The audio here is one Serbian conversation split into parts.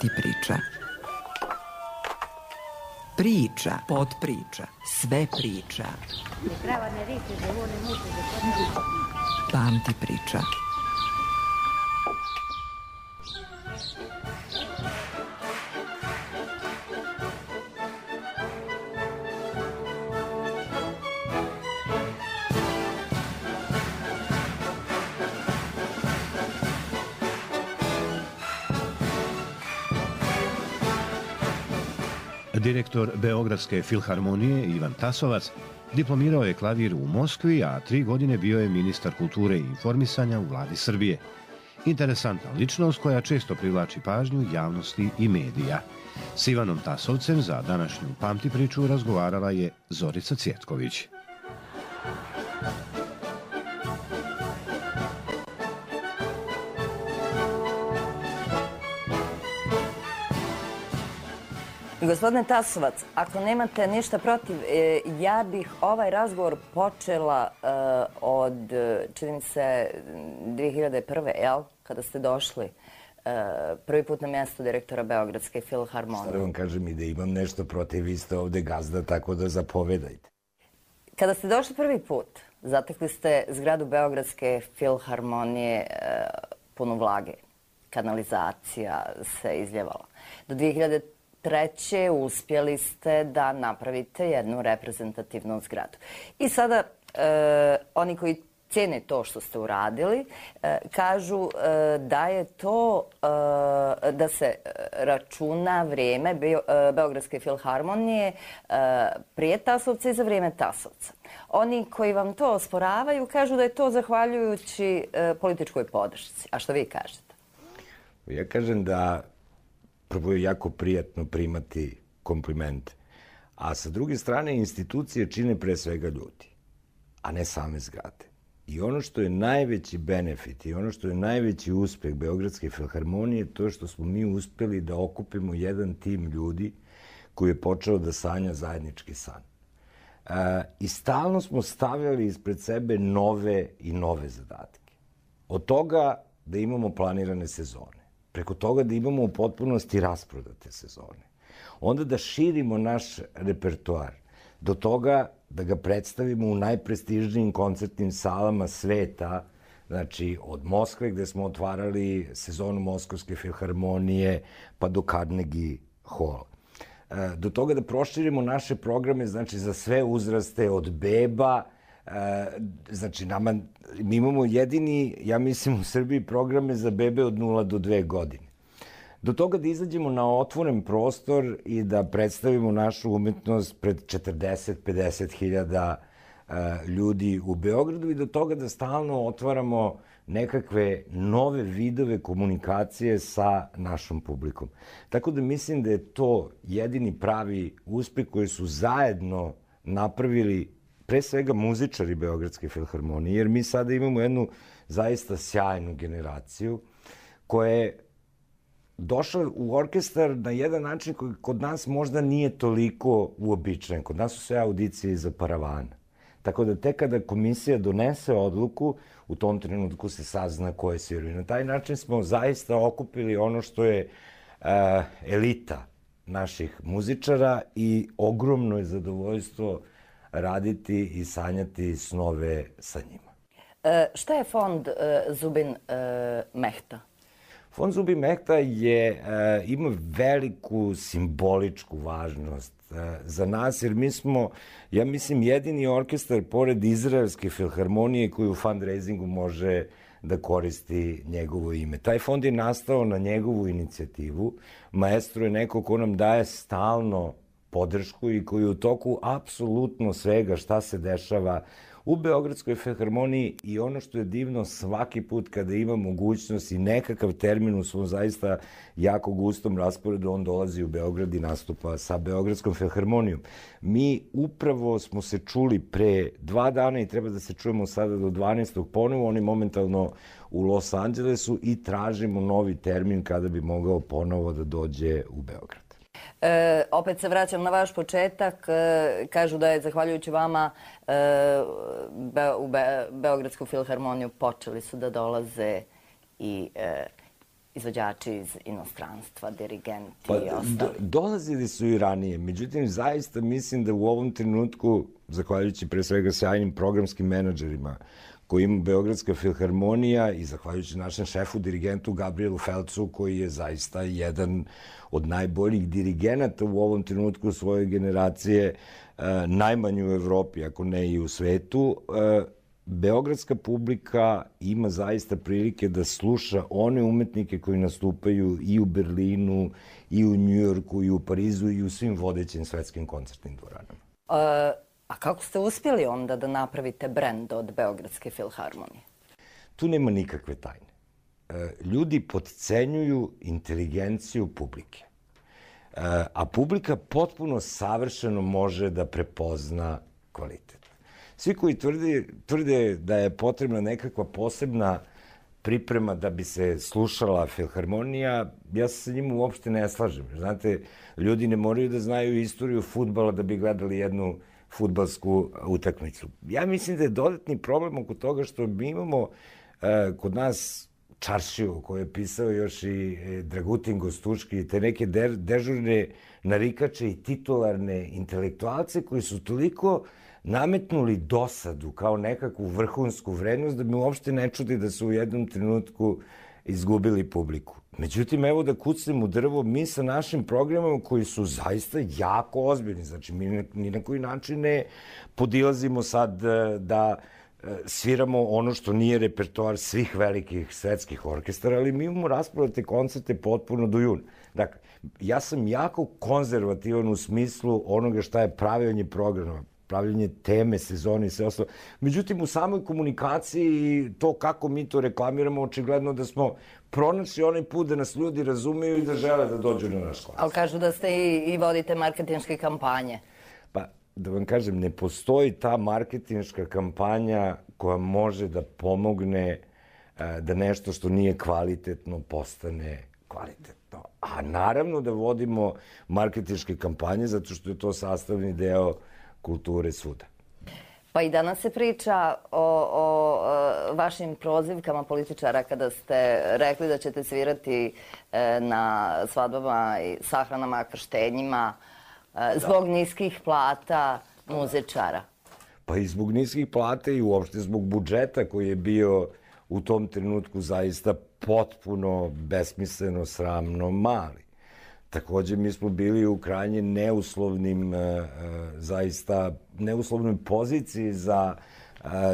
Pamti priča. Priča, podpriča, sve priča. Pamti priča. Direktor Beogradske filharmonije Ivan Tasovac diplomirao je klavir u Moskvi, a 3 godine bio je ministar kulture i informisanja u vladi Srbije. Interesantna ličnost koja često privlači pažnju javnosti i medija. S Ivanom Tasovcem za današnju Pamti priču razgovarala je Zorica Cvjetković. Gospodine Tasovac, ako nemate ništa protiv, ja bih ovaj razgovor počela od, čini se, 2001. jel? Kada ste došli prvi put na mjesto direktora Beogradske filharmonije. Šta da vam kažem i da imam nešto protiv, vi ste ovde gazda, tako da zapovedajte. Kada ste došli prvi put, zatekli ste zgradu Beogradske filharmonije punu vlage. Kanalizacija se izljevala. Do 2003. uspjeli ste da napravite jednu reprezentativnu zgradu. I sada oni koji cijene to što ste uradili kažu da je to, da se računa vrijeme Beogradske filharmonije prije Tasovca i za vrijeme Tasovca. Oni koji vam to osporavaju kažu da je to zahvaljujući političkoj podršci. A što vi kažete? Ja kažem da prvo je jako prijatno primati komplimente. A sa druge strane, institucije čine pre svega ljudi, a ne same zgrade. I ono što je najveći benefit i ono što je najveći uspeh Beogradske filharmonije je to što smo mi uspeli da okupimo jedan tim ljudi koji je počeo da sanja zajednički san. I stalno smo stavljali ispred sebe nove i nove zadatke. Od toga da imamo planirane sezone, preko toga da imamo u potpunosti rasprodate sezone, onda da širimo naš repertoar, do toga da ga predstavimo u najprestižnijim koncertnim salama sveta, znači od Moskve gde smo otvarali sezonu Moskovske filharmonije pa do Carnegie Hall. Do toga da proširimo naše programe, znači za sve uzraste od beba, znači mi imamo jedini, ja mislim u Srbiji, programe za bebe od 0 do 2 godine. Do toga da izađemo na otvoren prostor i da predstavimo našu umetnost pred 40-50 hiljada ljudi u Beogradu i do toga da stalno otvaramo nekakve nove vidove komunikacije sa našom publikom. Tako da mislim da je to jedini pravi uspeh koji su zajedno napravili pre svega muzičari Beogradske filharmonije, jer mi sada imamo jednu zaista sjajnu generaciju koja je došla u orkestar na jedan način koji kod nas možda nije toliko uobičajen. Kod nas su sve audicije iza paravana. Tako da tek kada komisija donese odluku, u tom trenutku se sazna ko je svirao. I na taj način smo zaista okupili ono što je elita naših muzičara i ogromno je zadovoljstvo raditi i sanjati snove sa njima. Šta je fond Zubin Mehta? Fond Zubin Mehta ima veliku simboličku važnost za nas, jer mi smo, ja mislim, jedini orkestar pored Izraelske filharmonije koji u fundraisingu može da koristi njegovo ime. Taj fond je nastao na njegovu inicijativu. Maestro je neko ko nam daje stalno podršku i koji u toku apsolutno svega šta se dešava u Beogradskoj filharmoniji i ono što je divno, svaki put kada ima mogućnost i nekakav termin u svom zaista jako gustom rasporedu, on dolazi u Beograd i nastupa sa Beogradskom filharmonijom. Mi upravo smo se čuli pre 2 dana i treba da se čujemo sada do 12. ponovo, on je momentalno u Los Angelesu i tražimo novi termin kada bi mogao ponovo da dođe u Beograd. Opet se vraćam na vaš početak. Kažu da je zahvaljujući vama u Beogradsku filharmoniju počeli su da dolaze i izvođači iz inostranstva, dirigenti Pa, i ostali? dolazili su i ranije, međutim, zaista mislim da u ovom trenutku, zahvaljujući pre svega sjajnim programskim menadžerima koji ima Beogradska filharmonija i zahvaljujući našem šefu, dirigentu Gabrielu Felcu, koji je zaista jedan od najboljih dirigenata u ovom trenutku svoje generacije, najmanji u Evropi, ako ne i u svetu, beogradska publika ima zaista prilike da sluša one umetnike koji nastupaju i u Berlinu, i u Njujorku, i u Parizu, i u svim vodećim svetskim koncertnim dvoranama. A kako ste uspjeli onda da napravite brend od Beogradske filharmonije? Tu nema nikakve tajne. Ljudi potcenjuju inteligenciju publike. A publika potpuno savršeno može da prepozna kvalitet. Svi koji tvrde da je potrebna nekakva posebna priprema da bi se slušala filharmonija, ja se sa njim uopšte ne slažem. Znate, ljudi ne moraju da znaju istoriju fudbala da bi gledali jednu fudbalsku utakmicu. Ja mislim da je dodatni problem oko toga što mi imamo kod nas čaršiju koju je pisao još i Dragutin Gostuški i te neke dežurne narikače i titularne intelektualce koji su toliko nametnuli dosadu kao nekakvu vrhunsku vrednost da mi uopšte ne čudi da su u jednom trenutku izgubili publiku. Međutim, evo da kucnem u drvo, mi sa našim programama koji su zaista jako ozbiljni, znači mi ni na koji način ne podilazimo sad da sviramo ono što nije repertoar svih velikih svetskih orkestara, ali mi imamo rasprodate koncerte potpuno do juna. Dakle, ja sam jako konzervativan u smislu onoga šta je pravljanje programa, pravljanje teme, sezone i sve ostalo. Međutim, u samoj komunikaciji i to kako mi to reklamiramo, očigledno da smo pronašli onaj put da nas ljudi razumeju i da žele da dođu na naš koncert. Ali kažu da ste i vodite marketinške kampanje. Pa, da vam kažem, ne postoji ta marketinška kampanja koja može da pomogne da nešto što nije kvalitetno postane kvalitetno. A naravno da vodimo marketinške kampanje zato što je to sastavni deo kulture svuda. Pa i danas se priča o vašim prozivkama političara kada ste rekli da ćete svirati na svadbama i sahranama, krštenjima zbog niskih plata muzičara. Pa i zbog niskih plata i uopšte zbog budžeta koji je bio u tom trenutku zaista potpuno besmisleno, sramno mali. Takođe, mi smo bili u krajnje zaista neuslovnoj poziciji za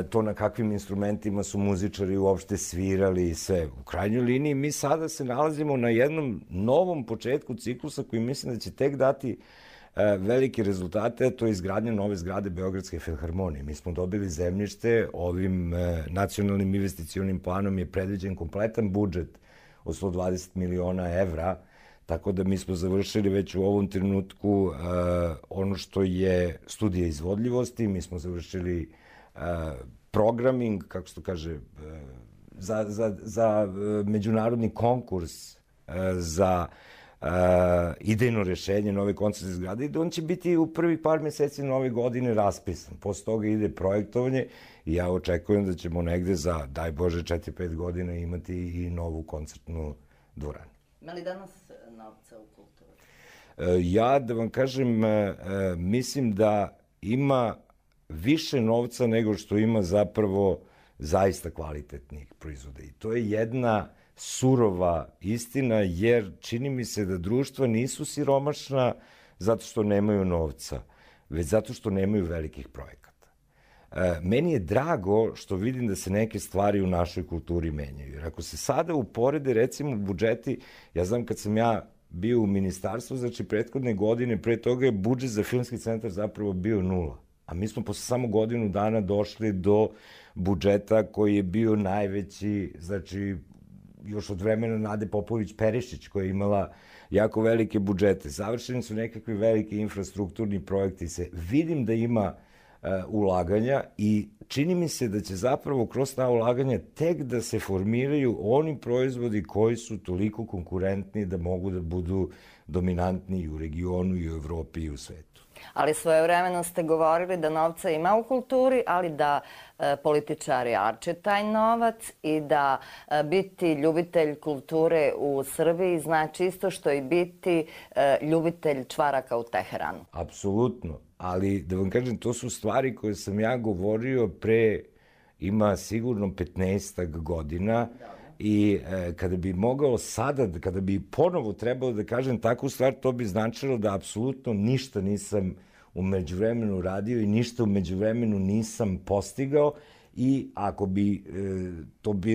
to na kakvim instrumentima su muzičari uopšte svirali i sve. U krajnjoj liniji mi sada se nalazimo na jednom novom početku ciklusa koji mislim da će tek dati velike rezultate, a to je izgradnja nove zgrade Beogradske filharmonije. Mi smo dobili zemljište, ovim nacionalnim investicionim planom je predviđen kompletan budžet od 120 miliona evra, tako da mi smo završili već u ovom trenutku ono što je studija izvodljivosti, mi smo završili programming, kako se to kaže, za međunarodni konkurs, za idejno rešenje nove koncertne zgrade i on će biti u prvih par meseci nove godine raspisan. Posle toga ide projektovanje i ja očekujem da ćemo negde za, daj Bože, 4-5 godina imati i novu koncertnu dvoranu. Ima li danas novca u kulturi? Ja, da vam kažem, mislim da ima više novca nego što ima zapravo zaista kvalitetnih proizvoda. I to je jedna surova istina, jer čini mi se da društva nisu siromašna zato što nemaju novca, već zato što nemaju velikih projekata. Meni je drago što vidim da se neke stvari u našoj kulturi menjaju. Jer ako se sada uporede, recimo, budžeti, ja znam kad sam ja bio u ministarstvu, znači prethodne godine, pre toga je budžet za filmski centar zapravo bio 0. A mi smo posle samo godinu dana došli do budžeta koji je bio najveći, znači, još od vremena Nade Popović-Perišić, koja je imala jako velike budžete. Završeni su nekakvi veliki infrastrukturni projekti. Vidim da ima ulaganja i čini mi se da će zapravo kroz ta ulaganja tek da se formiraju oni proizvodi koji su toliko konkurentni da mogu da budu dominantni i u regionu, i u Evropi, i u svetu. Ali svojevremeno ste govorili da novca ima u kulturi, ali da političari arče taj novac i da biti ljubitelj kulture u Srbiji znači isto što i biti ljubitelj čvaraka u Teheranu. Apsolutno, ali da vam kažem, to su stvari koje sam ja govorio pre, ima sigurno 15 godina. I kada bi mogao sada, kada bi ponovo trebalo da kažem takvu stvar, to bi značilo da apsolutno ništa nisam u međuvremenu radio i ništa u međuvremenu nisam postigao i ako bi,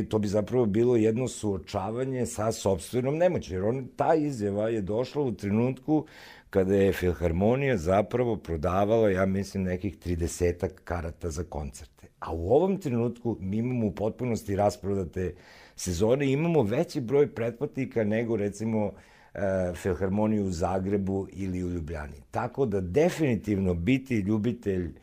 to bi zapravo bilo jedno suočavanje sa sopstvenom nemoći. Jer ta izjava je došla u trenutku kada je Filharmonija zapravo prodavala, ja mislim, nekih 30 karata za koncerte. A u ovom trenutku mi imamo u potpunosti rasprodate sezone, imamo veći broj pretplatnika nego, recimo, Filharmoniju u Zagrebu ili u Ljubljani. Tako da definitivno biti ljubitelj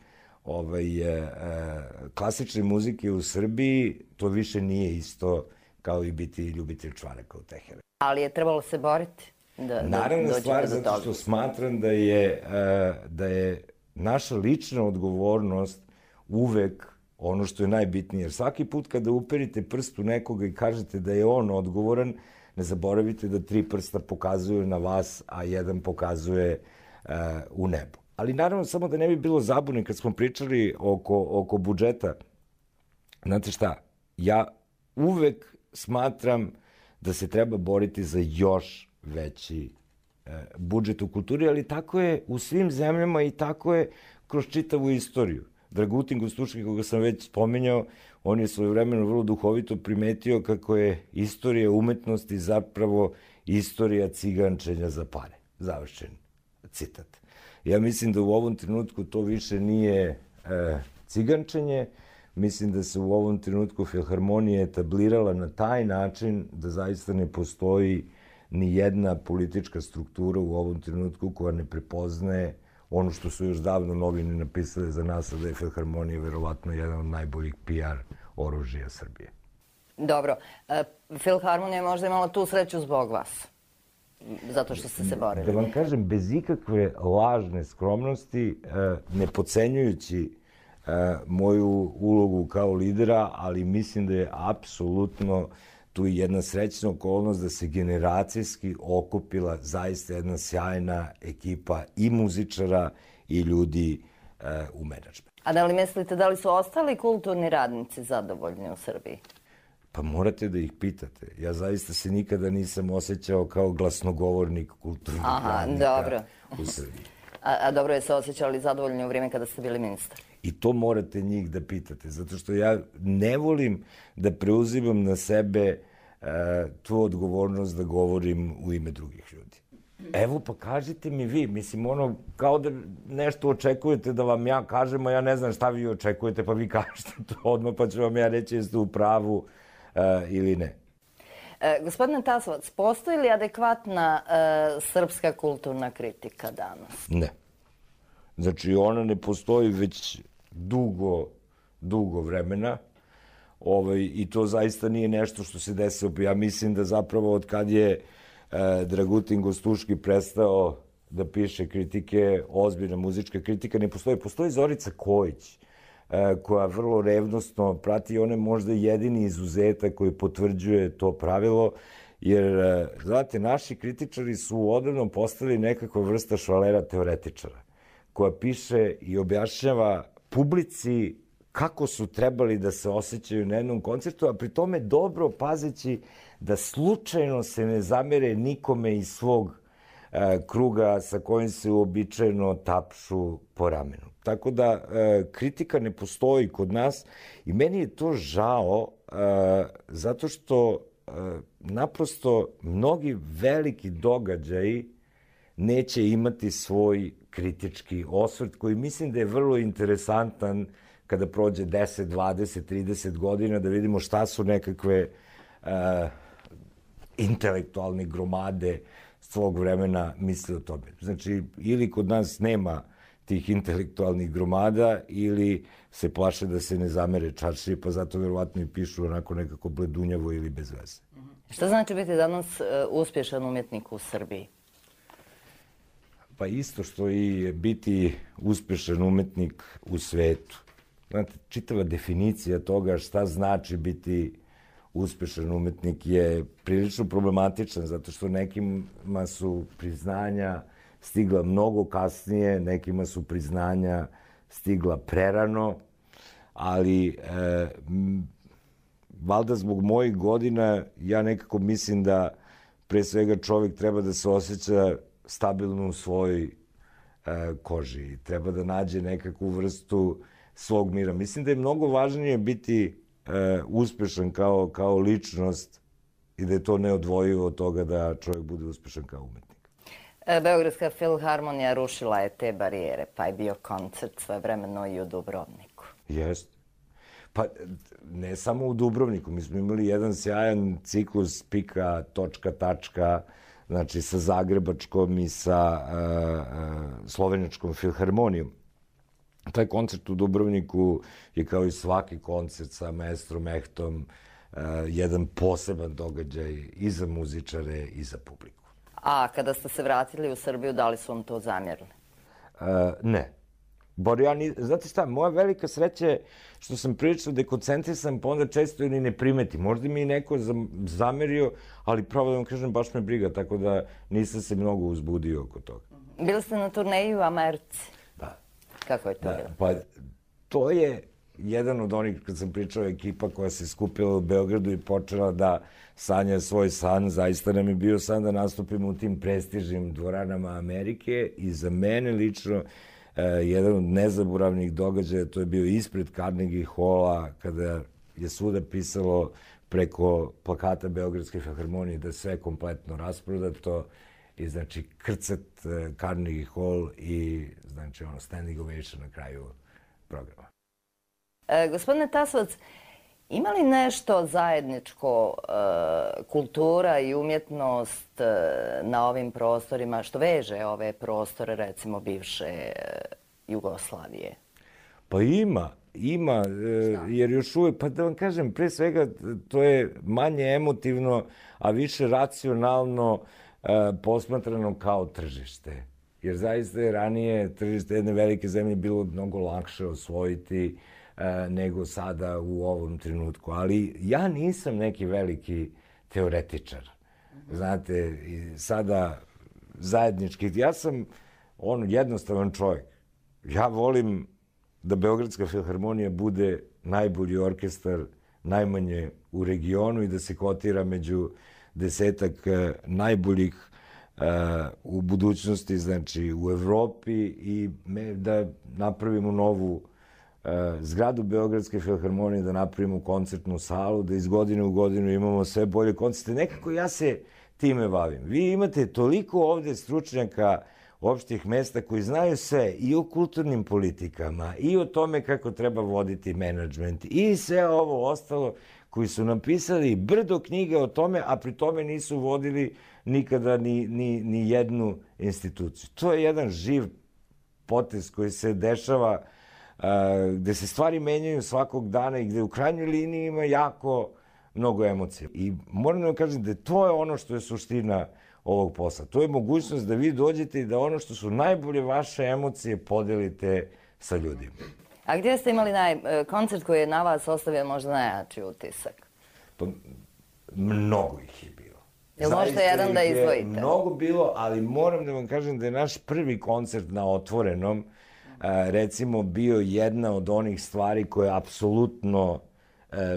klasične muzike u Srbiji, to više nije isto kao i biti ljubitelj čvaraka u Teheranu. Ali je trebalo se boriti da naravno stvar, zato što smatram da je naša lična odgovornost uvek ono što je najbitnije. Jer svaki put kada uperite prst u nekoga i kažete da je on odgovoran, ne zaboravite da 3 prsta pokazuju na vas, a 1 pokazuje u nebo. Ali naravno, samo da ne bi bilo zabune kad smo pričali oko budžeta, znate šta, ja uvek smatram da se treba boriti za još veći budžet u kulturi, ali tako je u svim zemljama i tako je kroz čitavu istoriju. Dragutin Gostuški, koga sam već spominjao, on je svojevremeno vrlo duhovito primetio kako je istorija umetnosti zapravo istorija cigančenja za pare. Završen citat. Ja mislim da u ovom trenutku to više nije cigančenje. Mislim da se u ovom trenutku Filharmonija etablirala na taj način da zaista ne postoji ni jedna politička struktura u ovom trenutku koja ne prepoznaje ono što su još davno novine napisale za nas, da je Filharmonija verovatno jedan od najboljih PR oružja Srbije. Dobro. Filharmonija je možda imala tu sreću zbog vas, zato što ste se borili. Da vam kažem, bez ikakve lažne skromnosti, ne podcenjujući moju ulogu kao lidera, ali mislim da je apsolutno tu jedna srećna okolnost da se generacijski okupila zaista jedna sjajna ekipa i muzičara i ljudi u menadžmentu. A da li mislite da li su ostali kulturni radnici zadovoljni u Srbiji? Pa morate da ih pitate. Ja zaista se nikada nisam osjećao kao glasnogovornik kulturnih radnika u Srbiji. A dobro je se osjećali zadovoljni u vrijeme kada ste bili ministar? I to morate njih da pitate, zato što ja ne volim da preuzimam na sebe tu odgovornost da govorim u ime drugih ljudi. Evo, pa kažite mi vi, mislim, ono, kao da nešto očekujete da vam ja kažem, a ja ne znam šta vi očekujete, pa vi kažete to odmah, pa ću vam ja reći jeste u pravu ili ne. Gospodine Tasovac, postoji li adekvatna srpska kulturna kritika danas? Ne. Znači, ona ne postoji već dugo vremena i to zaista nije nešto što se desilo. Ja mislim da zapravo od kad je Dragutin Gostuški prestao da piše kritike, ozbiljna muzička kritika, ne postoji. Postoji Zorica Kojić, koja vrlo revnosno prati, on je možda jedini izuzetak koji potvrđuje to pravilo, jer, znate, naši kritičari su odavno postali nekakva vrsta švalera teoretičara, koja piše i objašnjava publici kako su trebali da se osjećaju na jednom koncertu, a pri tome dobro pazeći da slučajno se ne zamere nikome iz svog kruga sa kojim se uobičajeno tapšu po ramenu. Tako da kritika ne postoji kod nas i meni je to žao zato što naprosto mnogi veliki događaji neće imati svoj kritički osvrt koji mislim da je vrlo interesantan kada prođe 10, 20, 30 godina da vidimo šta su nekakve intelektualne gromade svog vremena misle o tome. Znači, ili kod nas nema tih intelektualnih gromada ili se plaše da se ne zamere čaršije, pa zato verovatno i pišu onako nekako bledunjavo ili bez veze. Šta znači biti danas uspješan umjetnik u Srbiji? Pa isto što i biti uspešan umetnik u svetu. Znate, čitava definicija toga šta znači biti uspešan umetnik je prilično problematičan, zato što nekima su priznanja stigla mnogo kasnije, nekima su priznanja stigla prerano, ali valjda zbog mojih godina ja nekako mislim da pre svega čovjek treba da se osjeća stabilno u svojoj koži. Treba da nađe nekakvu vrstu svog mira. Mislim da je mnogo važnije biti uspešan kao ličnost i da je to neodvojivo od toga da čovjek bude uspešan kao umetnik. Beogradska filharmonija rušila je te barijere, pa je bio koncert svojevremeno i u Dubrovniku. Jeste. Pa ne samo u Dubrovniku, mi smo imali jedan sjajan ciklus pika, točka, tačka, znači sa Zagrebačkom i sa Slovenačkom filharmonijom. Taj koncert u Dubrovniku je kao i svaki koncert sa maestrom Ehtom jedan poseban događaj i za muzičare i za publiku. A kada ste se vratili u Srbiju, da li su vam to zamjerili? Ne. Znate šta, moja velika sreća je što sam prilično dekoncentrisan, pa onda često ili ne primeti. Možda mi je neko zamerio, ali pravo da vam kažem, baš me briga, tako da nisam se mnogo uzbudio oko toga. Bili ste na turneji u Americi? Da. Kako je to bilo? Pa to je jedan od onih, kad sam pričao, ekipa koja se skupila u Beogradu i počela da sanja svoj san. Zaista nam je bio san da nastupimo u tim prestižnim dvoranama Amerike i za mene lično jedan od nezaboravnih događaja, to je bio ispred Carnegie Halla, kada je svuda pisalo preko plakata Beogradske filharmonije da sve kompletno rasprodato i znači krcat Carnegie Hall i znači standing ovation na kraju programa. Gospodine Tasovac, ima li nešto zajedničko kultura i umjetnost na ovim prostorima što veže ove prostore, recimo bivše Jugoslavije? Pa ima, jer još uvijek, pa da vam kažem, pre svega to je manje emotivno, a više racionalno posmatrano kao tržište. Jer zaista je ranije tržište jedne velike zemlje bilo mnogo lakše osvojiti nego sada u ovom trenutku. Ali ja nisam neki veliki teoretičar. Znate, sada zajednički, ja sam jednostavan čovjek. Ja volim da Beogradska filharmonija bude najbolji orkestar, najmanje u regionu i da se kotira među 10 najboljih u budućnosti, znači u Evropi i da napravimo novu zgradu Beogradske filharmonije, da napravimo koncertnu salu, da iz godine u godinu imamo sve bolje koncerte. Nekako ja se time bavim. Vi imate toliko ovde stručnjaka opštih mesta koji znaju sve i o kulturnim politikama, i o tome kako treba voditi menadžment, i sve ovo ostalo, koji su napisali brdo knjige o tome, a pri tome nisu vodili nikada ni jednu instituciju. To je jedan živ potez koji se dešava, gde se stvari menjaju svakog dana i gde u krajnjoj liniji ima jako mnogo emocija. I moram da vam kažem da to je ono što je suština ovog posla. To je mogućnost da vi dođete i da ono što su najbolje vaše emocije podelite sa ljudima. A gdje ste imali koncert koji je na vas ostavio možda najjači utisak? Pa, mnogo ih je bilo. Jel možete jedan da izdvojite? Mnogo bilo, ali moram da vam kažem da je naš prvi koncert na otvorenom recimo bio jedna od onih stvari koje apsolutno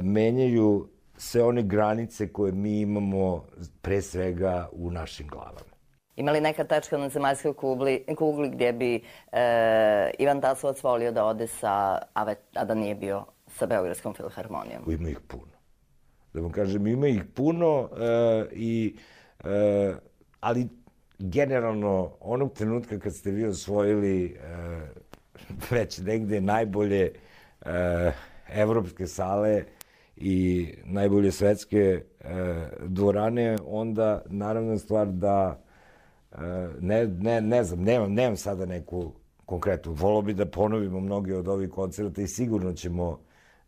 menjaju sve one granice koje mi imamo pre svega u našim glavama. Ima li neka tačka na zemaljskoj kugli gdje bi Ivan Tasovac volio da ode a da nije bio sa Beogradskom filharmonijom? Ima ih puno. Da vam kažem, ima ih puno, ali generalno onog trenutka kad ste vi osvojili već negde najbolje evropske sale i najbolje svetske dvorane, onda naravno stvar da ne znam, nemam sada neku konkretnu. Volio bi da ponovimo mnoge od ovih koncerta i sigurno ćemo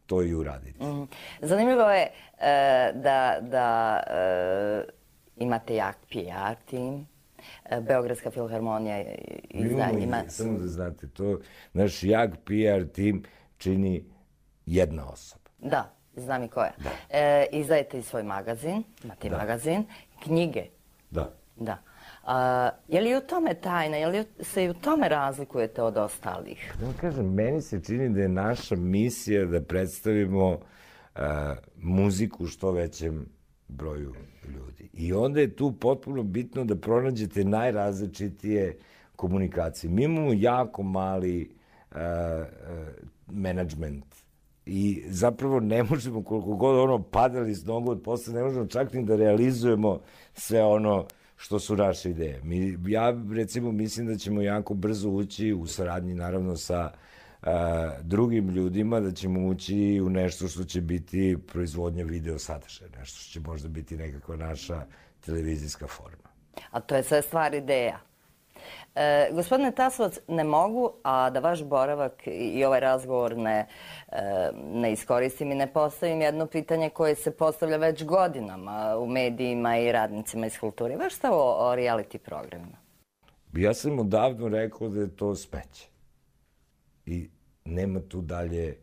to i uraditi. Zanimljivo je da imate jak PR tim, Beogradska filharmonija ima... Samo da znate, to naš jak PR tim čini jedna osoba. Da, znam i koja. Izdajete i svoj magazin, imate i magazin, knjige. Da. Da. Je li u tome tajna, je li se i u tome razlikujete od ostalih? Da vam kažem, meni se čini da je naša misija da predstavimo muziku što većem broju ljudi. I onda je tu potpuno bitno da pronađete najrazličitije komunikacije. Mi imamo jako mali menadžment i zapravo ne možemo, koliko god padali s nogu od posla, ne možemo čak ni da realizujemo sve ono što su naše ideje. Ja, recimo, mislim da ćemo jako brzo ući u saradnji, naravno, sa drugim ljudima, da ćemo ući u nešto što će biti proizvodnja video sadržaja, nešto što će možda biti nekakva naša televizijska forma. A to je sve stvar ideja. Gospodine Tasovac, ne mogu, a da vaš boravak i ovaj razgovor ne iskoristim i ne postavim jedno pitanje koje se postavlja već godinama u medijima i radnicima iz kulture. Vaš stav o reality programima? Ja sam odavno rekao da je to smeće. I nema tu dalje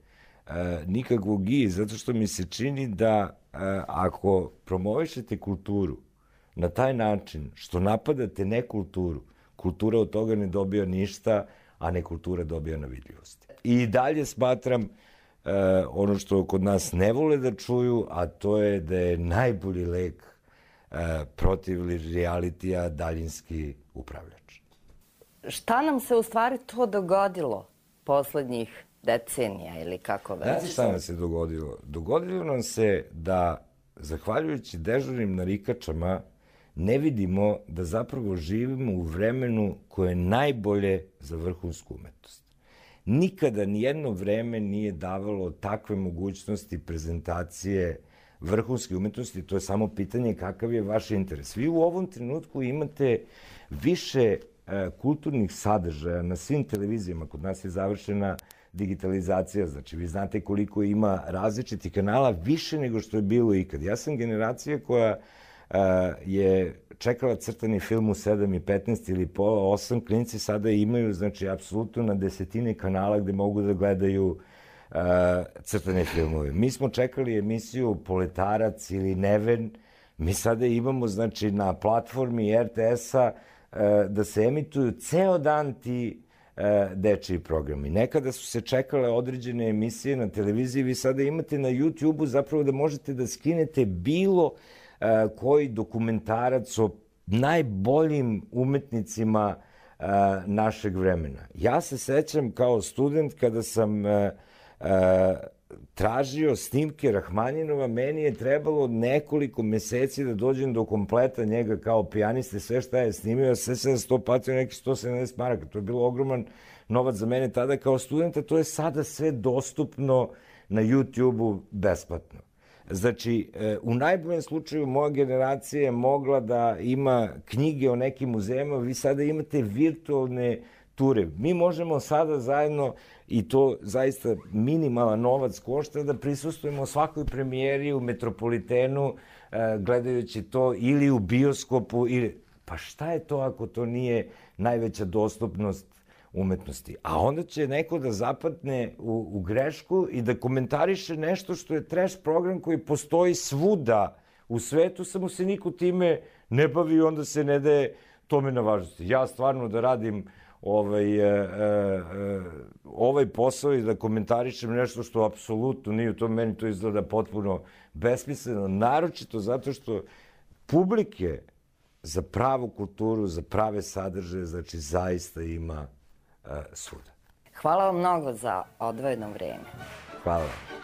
nikakvog zato što mi se čini da ako promovišete kulturu na taj način što napadate nekulturu, kultura od toga ne dobija ništa, a nekultura dobija na vidljivosti. I dalje smatram ono što kod nas ne vole da čuju, a to je da je najbolji lek protiv realitija daljinski upravljač. Šta nam se u stvari to dogodilo poslednjih decenija ili kako već? Znate šta nam se dogodilo? Dogodilo nam se da, zahvaljujući dežurnim narikačama, ne vidimo da zapravo živimo u vremenu koje je najbolje za vrhunsku umetnost. Nikada nijedno vreme nije davalo takve mogućnosti prezentacije vrhunske umetnosti, to je samo pitanje kakav je vaš interes. Vi u ovom trenutku imate više kulturnih sadržaja na svim televizijama. Kod nas je završena digitalizacija, znači vi znate koliko ima različitih kanala, više nego što je bilo ikad. Ja sam generacija koja je čekala crtani film u 7:15 ili pola 8, klinci sada imaju, znači, apsolutno na desetine kanala gde mogu da gledaju crtane filmove. Mi smo čekali emisiju Poletarac ili Neven, mi sada imamo, znači, na platformi RTS-a da se emituju ceo dan ti dečiji programi. Nekada su se čekale određene emisije na televiziji, vi sada imate na YouTube-u zapravo da možete da skinete bilo koji dokumentarac o najboljim umetnicima našeg vremena. Ja se sećam kao student kada sam tražio snimke Rahmaninova, meni je trebalo nekoliko meseci da dođem do kompleta njega kao pijaniste, sve šta je snimio, sve se to platio nekih 170 maraka. To je bilo ogroman novac za mene tada kao studenta, to je sada sve dostupno na YouTube-u besplatno. Znači, u najboljem slučaju moja generacija je mogla da ima knjige o nekim muzejima, vi sada imate virtualne ture. Mi možemo sada zajedno, i to zaista minimalan novac košta, da prisustvujemo svakoj premijeri u Metropolitenu, gledajući to ili u bioskopu. Pa šta je to ako to nije najveća dostupnost umetnosti? A onda će neko da zapadne u grešku i da komentariše nešto što je trash program koji postoji svuda u svetu, samo se niko time ne bavi i onda se ne daje tome na važnosti. Ja stvarno da radim ovaj posao i da komentarišem nešto što apsolutno nije u tom, meni to izgleda potpuno besmisleno, naročito zato što publike za pravu kulturu, za prave sadržaje, znači zaista ima svuda. Hvala vam mnogo za odvojeno vreme. Hvala vam.